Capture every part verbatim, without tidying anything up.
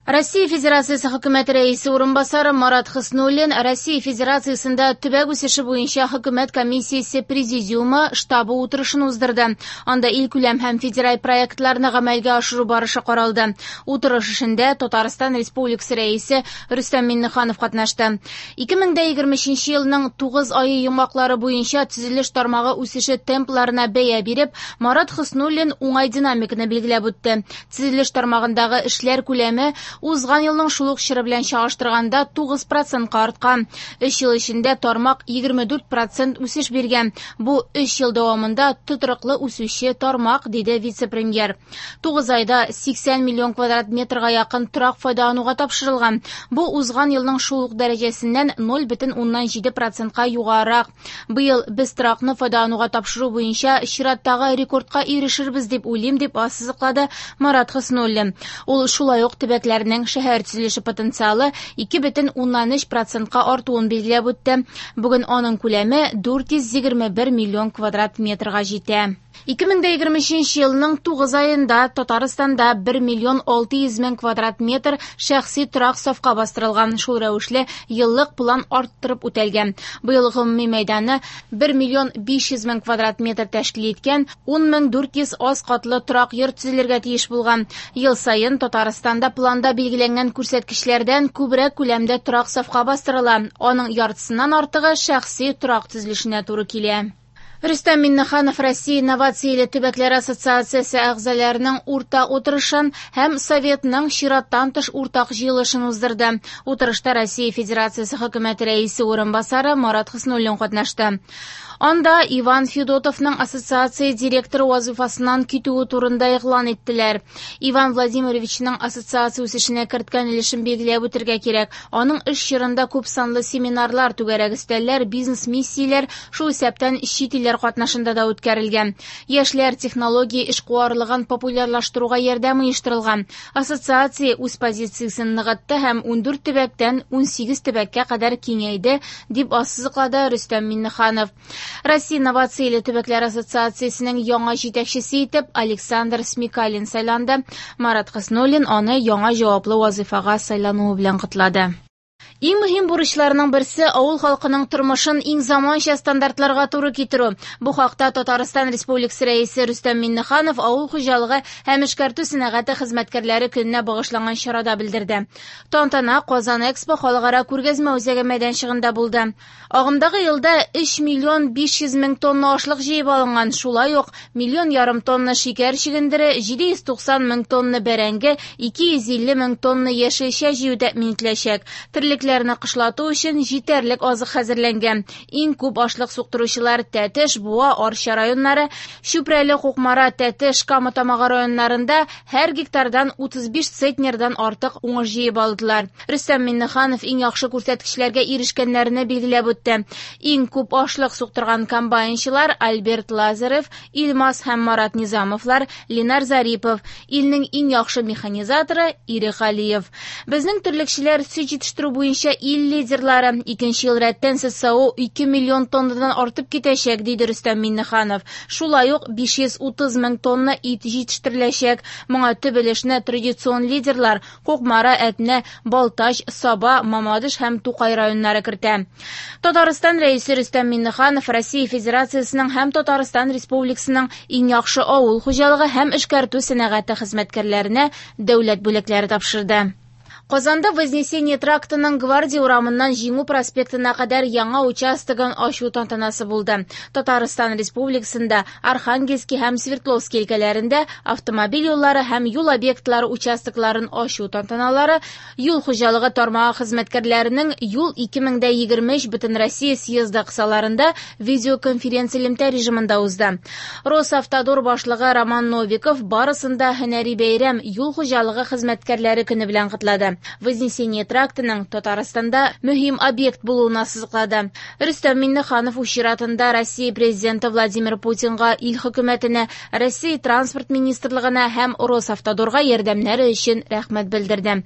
Россия Федерациясе Хөкүмәте Рәисе урынбасары Марат Хөснуллин Россия Федерациясендә төбәк үсеше буенча Хөкүмәт комиссиясе президиумы штабы утырышын уздырды. Анда илкүләм һәм федераль проектларны гамәлгә ашыру барышы каралды. Утырыш эшендә Татарстан Республикасы Рәисе Рөстәм Миңнеханов катнашты. ике мең дә егерме өченче елның тугыз ае йомгаклары буенча төзелеш тармагы үсеше темпларына бәя биреп, Марат Хөснуллин уңай динамиканы билгеләп үтте. Төзелеш тармагындагы эшләр күләме узган елның шул ук чоры белән чагыштырганда тугыз процентка арткан. Өч ел эчендә тармак егерме дүрт процент үсеш биргән. Бу өч ел дәвамында тотрыклы үсүче тармак, диде вице-премьер. Тугыз айда сиксән миллион квадрат метрга якын торак файдалануга тапшырылган. Бу узган елның шул ук дәрәҗәсеннән ноль бөтен уннан җиде процентка югарырак. Быел без торакны файдалануга тапшыру буенча чираттагы рекордка ирешербез дип уйлыйм, дип ассызыклады Марат Хөснуллин. Ул шулай ук төбәкләрнең шәһәр төзелеше потенциалы ике бөтен уннан өч процентка артуын билгеләп үтте. Бүген аның күләме дүрт йөз егерме бер миллион квадрат метрга җитә. Ике мең дә егерме өченче елның тугыз аенда Татарстанда бер миллион алты йөз мең квадрат метр шәхси торак сафка бастырылган. Шул рәвешле еллык план арттырып үтәлгән. Быел гомуми мәйданы бер миллион биш йөз мең квадрат метр тәшкил иткән ун мең дүрт йөз аз катлы торак йорт төзелергә тиеш булган. Ел саен Татарстанда планда билгеләнгән күрсәткечләрдән күбрәк күләмдә торак сафка бастырыла. Аның яртысыннан артыгы шәхси торак төзелешенә туры килә. Рөстәм Миңнеханов Россия инновацияле төбәкләр ассоциациясе әгъзаларының уртак утырышын һәм Советның чираттан тыш уртак җыелышын уздырды. Утырышта Россия Федерациясе Хөкүмәте Рәисе урынбасары Марат Хөснуллин катнашты. Анда Иван Федотовның ассоциация директоры вазифасыннан китүе турында игълан иттеләр. Иван Владимировичның ассоциация үсешенә керткән өлешен билгеләп үтергә кирәк. Аның эш чорында күп санлы семинарлар, түгәрәк өстәлләр, бизнес-миссияләр, шул исәптән чит илләр катнашында да үткәрелгән. Яшьләр технология эшкуарлыгын популярлаштыруга ярдәм оештырылган. Ассоциация үз позициясен ныгытты һәм ундүрт төбәктән унсигез төбәккә кадәр киңәйде, дип ассызыклады Рөстәм Миңнеханов. Россия инновацияле төбәкләр ассоциациясенең яңа җитәкчесе итеп Александр Смекалин сайланды. Марат Хөснуллин аны яңа җаваплы вазифага сайлануы белән котлады. Иң мөһим бурычларның берсе авыл халкының тормышын иң заманча стандартларга туры китерү. Бу хакта Татарстан Республикасы Рәисе Рөстәм Миңнеханов авыл хуҗалыгы һәм эшкәртү сәнәгате хезмәткәрләре көненә багышланган чарада белдерде. Тантана Казан Экспо халыкара күргәзмә үзәге мәйданчыгында булды. Агымдагы елда өч миллион биш йөз мең тонна ашлык җыеп алынган, шулай ук миллион ярым тонна шикәр чөгендере, җиде йөз туксан мең тонна бәрәңге, ике йөз илле мең тонна яшелчә җыю тәэмин ителәчәк. Терлекләрне кышлату өчен җитәрлек азык хәзерләнгән. Иң күп ашлык суктыручылар Тәтеш, Буа, Арча районнары, Чүпрәле, Кукмара, Тәтеш, Кама Тамагы районнарында һәр гектардан утыз биш центнердан артык уңыш җыеп алдылар. Рөстәм Миңнеханов иң яхшы күрсәткечләргә ирешкәннәрне билгеләп үтте. Иң күп ашлык суктырган комбайнчылар Альберт Лазарев, Илмас һәм Марат Низамовлар, Ленар Зарипов, илнең иң яхшы механизаторы Ирек Галиев. Безнең терлекчеләр сөт җитештерү буенча ил лидерлары. Икенче ел рәттән сөт саву ике миллион тоннадан артып китәчәк, диде Рөстәм Миңнеханов. Шулай ук биш йөз утыз мең тонна ит җитештереләчәк. Моңа төп өлешне традицион лидерлар Кукмара, Әтнә, Балтач, Саба, Мамадыш һәм Тукай районнары кертә. Татарстан Рәисе Рөстәм Миңнеханов Россия Федерациясенең һәм Татарстан Республикасының иң яхшы авыл хуҗалыгы һәм эшкәртү сәнәгате хезмәткәрләренә дәүләт бүләкләре тапшырды. Казанда Вознесение трактының Гвардия урамыннан Җиңү проспектына кадәр яңа участогын ачу тантанасы булды. Татарстан Республикасында Архангельский һәм Свердловский өлкәләрендә автомобиль юллары һәм юл объектлары участокларын ачу тантаналары юл хуҗалыгы тармагы хезмәткәрләренең юл ике мең дә егерме өч Бөтенроссия съезды кысаларында видеоконференция элемтә режимында узды. Росавтодор башлыгы Роман Новиков барысын да һөнәри бәйрәм юл хуҗалыгы хезмәткәрләре көне белән котлады. Вознесение трактының Татарстанда мөһим объект булуын ассызыклады. Рөстәм Миңнеханов үз чиратында Россия президенты Владимир Путинга, ил хөкүмәтенә, Россия транспорт министрлыгына һәм Росавтодорга ярдәмнәре өчен рәхмәт белдерде.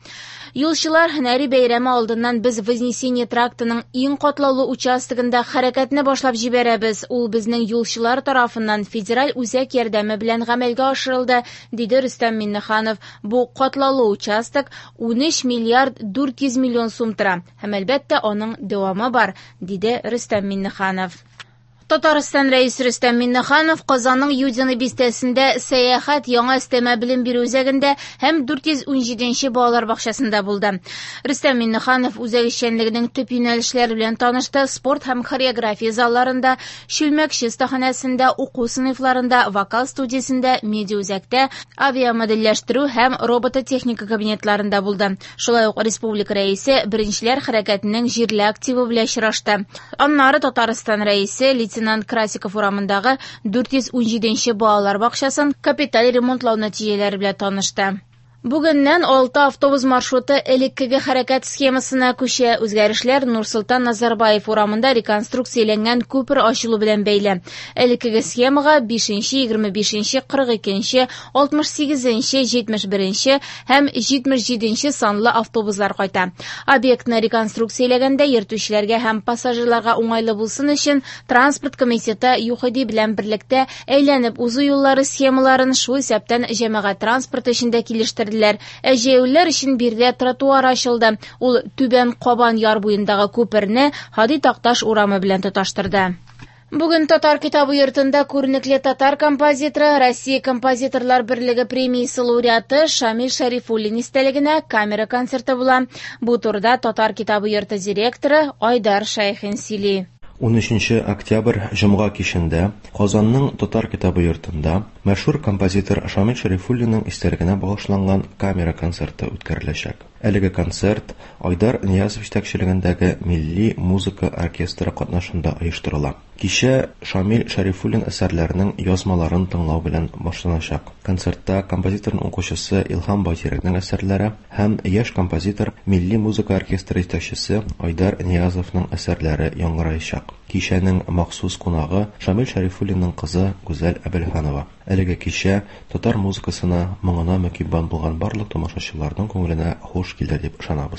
Юлчылар һөнәри бәйрәме алдыннан без Вознесение трактының иң катлаулы участогында хәрәкәтне башлап җибәрәбез. Ул безнең юлчылар тарафыннан федераль үзәк ярдәме белән гамәлгә ашырылды, диде Рөстәм Миңнеханов. Бу катлаулы участок ун өч миллиард дүрт йөз миллион сум тора. Һәм әлбәттә аның дәвамы бар, диде Рөстәм Миңнеханов. Татарстан Рәисе Рөстәм Миңнеханов Казанның Юдино бистәсендә Сәяхәт яңа өстәмә белем бирү үзәгендә һәм дүрт йөз унҗиденче балалар бакчасында булды. Рөстәм Миңнеханов үзәк эшчәнлегенең төп юнәлешләре белән танышты, спорт һәм хореография залларында, чүлмәкче остаханәсендә, уку сыйныфларында, вокал студиясендә, медиа үзәктә, авиамодельләштерү һәм робототехника кабинетларында булды. Шулай ук республика рәисе Беренчеләр хәрәкәтенең җирле активы белән очрашты. Аннары Татарстан рәисе Лейтенант Красиков урамындагы дүрт йөз унҗиденче балалар бакчасын капиталь ремонтлау нәтиҗәләре белән танышты. Бүгеннән алты автобус маршруты элеккеге хәрәкәт схемасына күчә. Үзгәрешләр Нурсолтан Назарбаев урамында реконструкцияләнгән күпер ачылу белән бәйле. Элеккеге схемага биш, егерме биш, кырык ике, алтмыш сигез, җитмеш бер һәм җитмеш җиде санлы автобуслар кайта. Объектны реконструкцияләгәндә йөртүчеләргә һәм пассажирларга уңайлы булсын өчен транспорт комитеты ЮХИДИ белән берлектә әйләнеп узу юллары схемаларын, шул исәптән җәмәгать транспорты өчен дә килештерделәр. Ә җәяүлеләр өчен биредә тротуар ачылды. Ул Түбән Кабан яр буендагы күперне Һади Такташ урамы белән тоташтырды. Бүген Татар китабы йортында күренекле татар композиторы, Россия композиторлар берлеге премиясе лауреаты Шамил Шәрифуллин истәлегенә камера концерты була. Бу турыда Татар китабы йорты директоры Айдар Шәйхин сөйли. унөченче октябрь җомга кичендә Казанның Татар китабы йортында мәшһүр композитор Шамил Шәрифуллинның истәлегенә багышланган камера концерты үткәреләчәк. Әлеге концерт Айдар Ниязов җитәкчелегендәге Милли музыка оркестры катнашында оештырыла. Кичә Шамил Шәрифуллин әсәрләренең язмаларын тыңлау белән башланачак. Концертта композиторның укучысы Илһам Байтирәкнең әсәрләре һәм яшь композитор, Милли музыка оркестры җитәкчесе Айдар Ниязовның әсәрләре яңгыраячак. Кичәнең махсус кунагы Шамил Шәрифуллинның кызы Гүзәл Әбелханова. Әлеге кичә татар музыкасына, моңына мөкиббән булган барлык тамашачыларның күңеленә хуш килер дип ышанабыз.